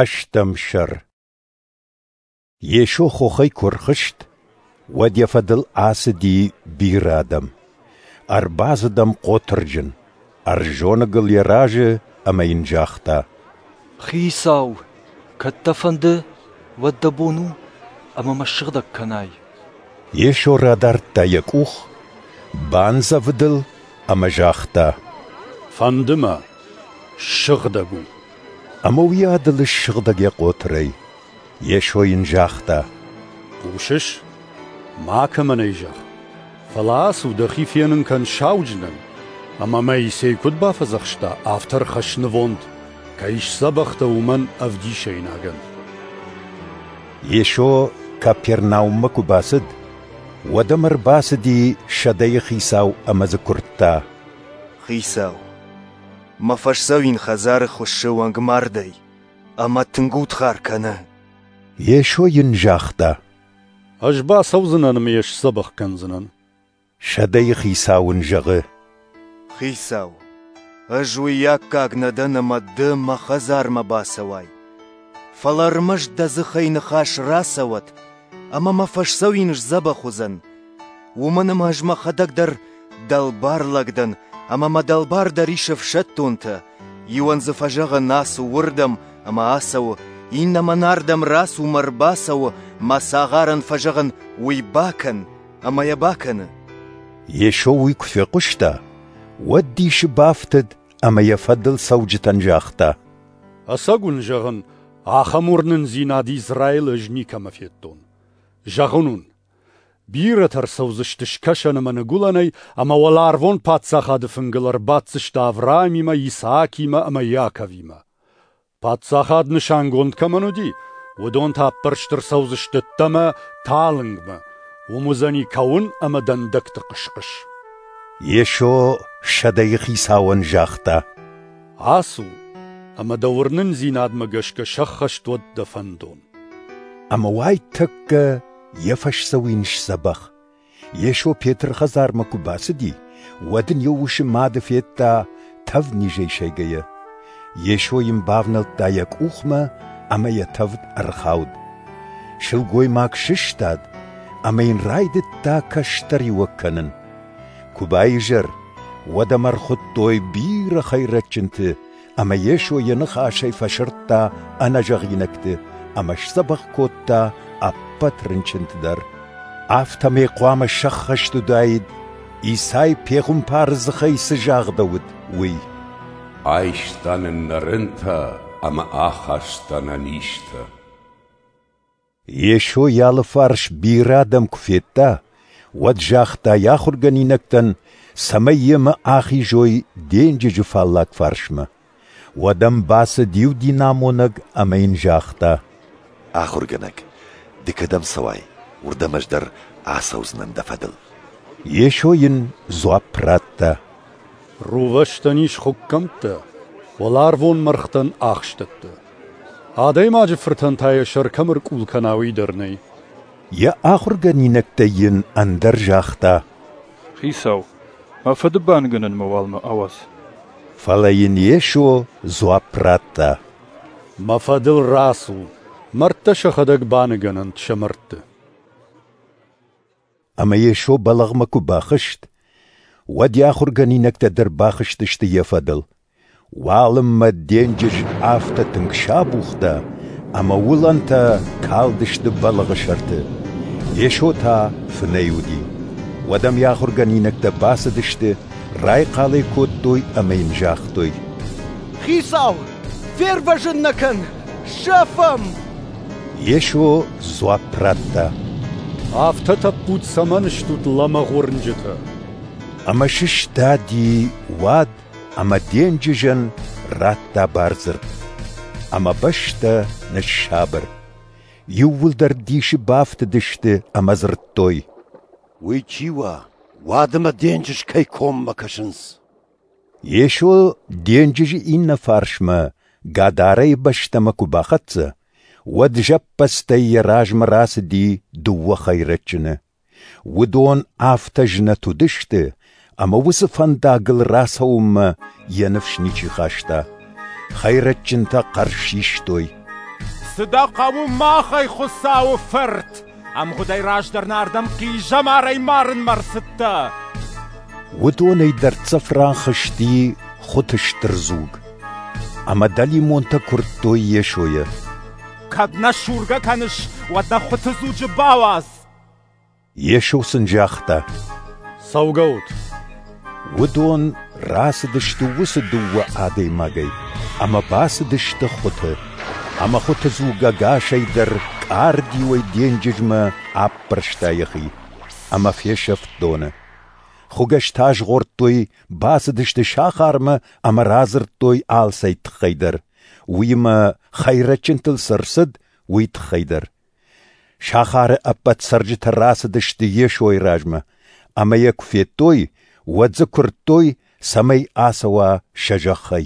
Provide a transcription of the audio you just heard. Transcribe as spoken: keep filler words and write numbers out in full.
Ӕстӕм сӕр. Йесо хохӕй куы ӕрхызт, уӕд йӕ фӕдыл ацыди бирӕ адӕм. Ӕрбацыд ӕм хъотырджын, ӕрзоныгыл йӕ разы ӕмӕ йын загъта: «Хицау, кӕд дӕ фӕнды, уӕд дӕ бон у, ӕмӕ мӕ ссыгъдӕг кӕнай». Йесо радардта Йӕ къух, бандзӕвыд ыл ӕмӕ загъта: «Фӕнды Мӕ, ссыгъдӕг у». Ӕмӕ уыйадыл ссыгъдӕг йӕ хъотырӕй. Йесо йын загъта: «Хъусыс? Макӕмӕн ӕй зӕгъ, фӕлӕ ацу, дӕхи фенын кӕн сауджынӕн, ӕмӕ Моисей куыд бафӕдзӕхста, афтӕ ӕрхӕсс нывонд, кӕй сдзӕбӕх дӕ, уымӕн ӕвдисӕйнагӕн». Йесо Капернауммӕ куы бацыд, уӕд ӕм ӕрбацыди сӕдӕйыхицау ӕмӕ дзы куырдта: «Хицау, мӕ фӕсдзӕуин хӕдзары хуыссы уӕнгмардӕй ӕмӕ тынг удхар кӕны». Йесо йын загъта: «Ӕз бацӕудзынӕн ӕмӕ йӕ сдзӕбӕх кӕндзынӕн». Сӕдӕйыхицау ын зӕгъы: «Хицау, ӕз уый аккаг нӕ дӕн, ӕмӕ Ды мӕ хӕдзармӕ бацӕуай. Фӕлӕ ӕрмӕст Дӕ дзыхӕй ныхас рацӕуӕд, ӕмӕ мӕ фӕсдзӕуин сдзӕбӕх уыдзӕн. Уымӕн ӕмӕ ӕз мӕхӕдӕг дӕр дӕлбар лӕг дӕн, ӕмӕ мӕ дӕлбар дӕр ис ӕфсӕддонтӕ. Иуӕн дзы фӕзӕгъын ацу уырдӕм ӕмӕ ацӕуы, иннӕмӕн ардӕм рацу ӕмӕ ӕрбацӕуы, мӕ цагъарӕн фӕзӕгъын уый бакӕн ӕмӕ йӕ бакӕны». Йесо уый куы фехъуыста, уӕд дисы бафтыд ӕмӕ йӕ фӕдыл цӕуджытӕн загъта: «Ӕцӕг уын зӕгъын, ахӕм уырнындзинад Израилы ӕз никӕмӕ федтон. Зӕгъын уын, бирӕтӕ ӕрцӕудзысты скӕсӕн ӕмӕ ныгуылӕнӕй ӕмӕ уӕларвон паддзахады фынгыл ӕрбаддзысты Авраамимӕ, Исаакимӕ ӕмӕ Иаковимӕ. Паддзахад нысангонд кӕмӕн уыди, уыдон та ӕппӕрст ӕрцӕудзысты ӕддӕмӕ, талынгмӕ. Уым уыдзӕни кӕуын ӕмӕ дӕндӕгты хъыс-хъыс». Йесо сӕдӕйыхицауӕн загъта: «Ацу, ӕмӕ дӕ уырнындзинадмӕ гӕсгӕ сӕххӕст уӕд дӕ фӕндон». Ӕмӕ уайтӕккӕ йӕ фӕсдзӕуин сдзӕбӕх. Йесо Петры хӕдзармӕ куы бацыди, уӕд ын йӕ усы мады федта тӕвднизӕй сӕйгӕйӕ. Йесо йын бавнӕлдта йӕ къухмӕ, ӕмӕ йӕ тӕвд ӕрхауд. Сылгоймаг сыстад ӕмӕ йын райдыдта кӕстӕриуӕг кӕнын. Куы баизӕр, уӕд ӕм ӕрхуыдтой бирӕ хӕйрӕджынты, ӕмӕ Йесо йӕ ныхасӕй фӕсырдта ӕнӕзӕгъинӕгты ӕмӕ сдзӕбӕх кодта ӕппӕт рынчынты дӕр. Афтӕмӕй хъуамӕ сӕххӕст уыдаид, Исай пехуымпары дзыхӕй цы загъдӕуыд, уый: «Айста нын нӕ рынтӕ ӕмӕ ахаста нӕ низтӕ». Йесо йӕ алыфарс бирӕ адӕм куы федта, уӕд загъта йӕ ахуыргӕнинӕгтӕн, цӕмӕй йемӕ ахизой денджызы фаллаг фарсмӕ. Уӕд ӕм бацыд иу динамонӕг ӕмӕ йын загъта: «Ахуыргӕнӕг, ды кӕдӕм цӕуай, уырдӕм ӕз дӕр ацӕудзынӕн дӕ фӕдыл». Йесо йын дзуапп радта: «Рувӕстӕн ис хуыккӕмттӕ, уӕларвон мӕргътӕн ахстӕттӕ. Адӕймаджы Фыртӕн та йӕ сӕр кӕм ӕркъул кӕна, уый дӕр нӕй». Йӕ ахуыргӕнинӕгтӕй йын ӕндӕр загъта: «Хицау, мӕ фыды баныгӕнынмӕ уал мӕ ауадз». Фӕлӕ йын Йесо дзуапп радта: «Мӕ фӕдыл рацу, мӕрдтӕ сӕхӕдӕг баныгӕнӕнт сӕ мӕрдты». Ӕмӕ Йесо бӕлӕгъмӕ куы бахызт, уӕд йӕ ахуыргӕнинӕгтӕ дӕр бахызтысты йӕ фӕдыл. Уалынмӕ денджыз афтӕ тынг сабухта, ӕмӕ уылӕнтӕ калдысты бӕлӕгъы сӕрты. Йесо та фынӕй уыди. Уӕд ӕм йӕ ахуыргӕнинӕгтӕ бацыдысты, райхъал ӕй кодтой ӕмӕ йын загътой: «Хицау, фервӕзын нӕ кӕн, сӕфӕм!» Йесо дзуапп радта: «Афтӕ тӕппуд цӕмӕн стут, лӕмӕгъ уырнджытӕ?» Ӕмӕ сыстади уад ӕмӕ денджызӕн радта бардзырд. Ӕмӕ бӕстӕ ныссабыр. Иууылдӕр дисы бафтыдысты ӕмӕ дзырдтой: «Уый чи уа, уад ӕмӕ денджыз кӕй коммӕ кӕсынц?» Йесо денджызы иннӕ фарсмӕ, Гадарӕйы бӕстӕмӕ куы бахӕццӕ, уӕд зӕппӕдзтӕй йӕ размӕ рацыди дыууӕ хӕйрӕджыны. Уыдон афтӕ знӕт уыдысты, ӕмӕ уыцы фӕндагыл рацӕуынмӕ йӕ ныфс ничи хаста. Хӕйрӕджынтӕ хъӕр систой: Цы дӕ хъӕуы махӕй, Хуыцауы Фырт? Ӕмгъуыдӕй раздӕр нӕ ардӕм хъизӕмарӕй марынмӕ ӕрцыдтӕ? Уыдонӕй дӕрддзӕф ран хызти хуыты стыр дзуг. Ӕмӕ дӕлимонтӕ куырдтой Йесойӕ: Кӕд нӕ сургӕ кӕныс, уӕд нӕ хуыты дзуджы бауадз. Йесо сын загъта: Цӕугӕут! Уыдон рацыдысты уыцы дыууӕ адӕймагӕй ӕмӕ бацыдысты хуыты. Ӕмӕ хуыты дзуг ӕгасӕй дӕр къардиуӕй денджызмӕ аппӕрста йӕхи, ӕмӕ фесӕфт доны. Хуыгӕстӕ азгъордтой, бацыдысты сахармӕ ӕмӕ радзырдтой алцӕй тыххӕй дӕр, уыимӕ хӕйрӕджынтыл цы ӕрцыд, уый тыххӕй дӕр. Сахары ӕппӕт цӕрджытӕ рацыдысты Йесойы размӕ, ӕмӕ йӕ куы федтой, уӕд дзы куырдтой, цӕмӕй ацӕуа сӕ зӕххӕй.